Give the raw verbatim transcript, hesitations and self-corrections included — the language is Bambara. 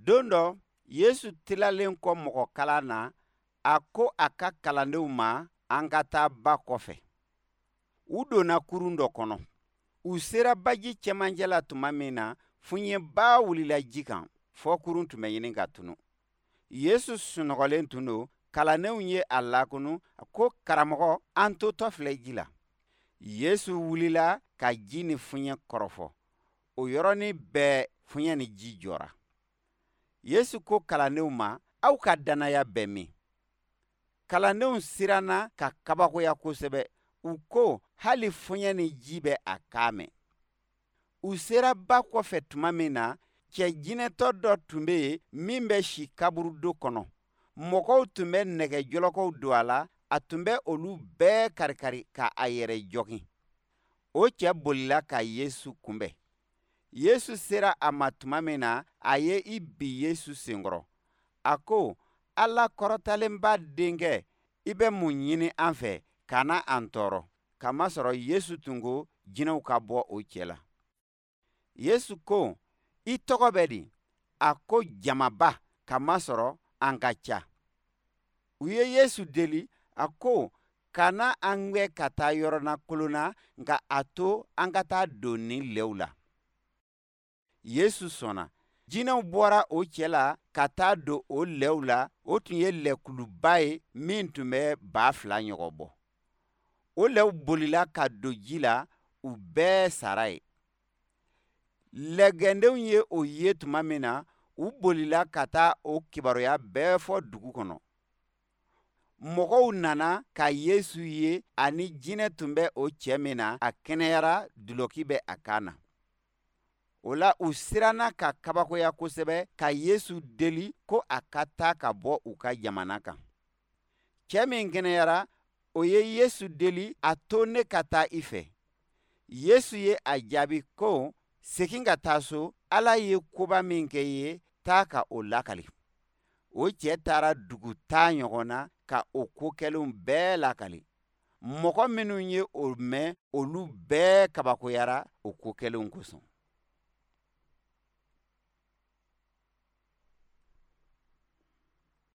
Don dɔ, Yesu tilalen kɔ mɔgɔ kalan na, a ko a ka kalandenw ma, an ka taa ba kɔfɛ. U donna kurun dɔ kɔnɔ. U sera baji cɛmancɛ la tuma min na, fiɲɛba wulila ji kan, fɔ kurun tun bɛ ɲini ka tunu. Yesu sunɔgɔlen tun don, kalandenw ye a lakunu ko, karamɔgɔ, an totɔ filɛ ji la. Yesu wulila ka ji ni fiɲɛ kɔrɔfɔ. O yɔrɔnin bɛɛ fiɲɛ ni ji jɔra. Yesu ko kalandenw ma, aw ka dannaya bɛ min? Kalandenw siranna ka kabakoya kosɛbɛ. U ko, hali fiɲɛ ni ji bɛ a kan mɛn. U sera ba kɔfɛ tuma min na, cɛ jinɛtɔ dɔ tun bɛ yen min bɛ si kaburudo kɔnɔ. Mɔgɔw tun bɛ nɛgɛ jɔlɔkɔw don a la, a tun bɛ olu bɛɛ karikari ka a yɛrɛ jogin. O cɛ bolila ka Yesu kunbɛn. Yesu sera a ma tuma min na, a ye i bin Yesu senkɔrɔ. A ko, Ala kɔrɔtalenba denkɛ, i bɛ mun ɲini an fɛ? Kana an tɔɔrɔ. Kamasɔrɔ Yesu tun ko jinɛw ka bɔ o cɛ la. Yesu ko, i tɔgɔ bɛ di? A ko, jamaba, kamasɔrɔ an ka ca. U ye Yesu deli, a ko, kana an gwɛn ka taa yɔrɔ kolon na, nka a to an ka taa don ni lɛw la. Yesu sɔnna. Jinɛw bɔra o cɛ la ka taa don o lɛw la. O tun ye lɛkuluba ye min tun bɛ ba fila ɲɔgɔn bɔ. O lɛw bolila ka don ji la, u bɛɛ sara yen. Lɛgɛndenw ye o ye tuma min na, u bolila ka taa o kibaruya bɛɛ fɔ dugu kɔnɔ. Mɔgɔw nana ka Yesu ye ani jinɛ tun bɛ o cɛ min na, a kɛnɛyara, dulɔki bɛ a kan na. O la, u siranna ka kabakoya kosɛbɛ ka Yesu deli ko a ka taa ka bɔ u ka jamana kan. Cɛ min kɛnɛyara, o ye Yesu deli, a to ne ka taa i fɛ. Yesu ye a jaabi ko, segin ka taa so, Ala ye koba min kɛ i ye, taa ka o lakali. O cɛ taara dugu tan ɲɔgɔn na ka o ko kɛlenw bɛɛ lakali. Mɔgɔ minnu ye o mɛn, olu bɛɛ kabakoyara o ko kɛlenw kosɔn.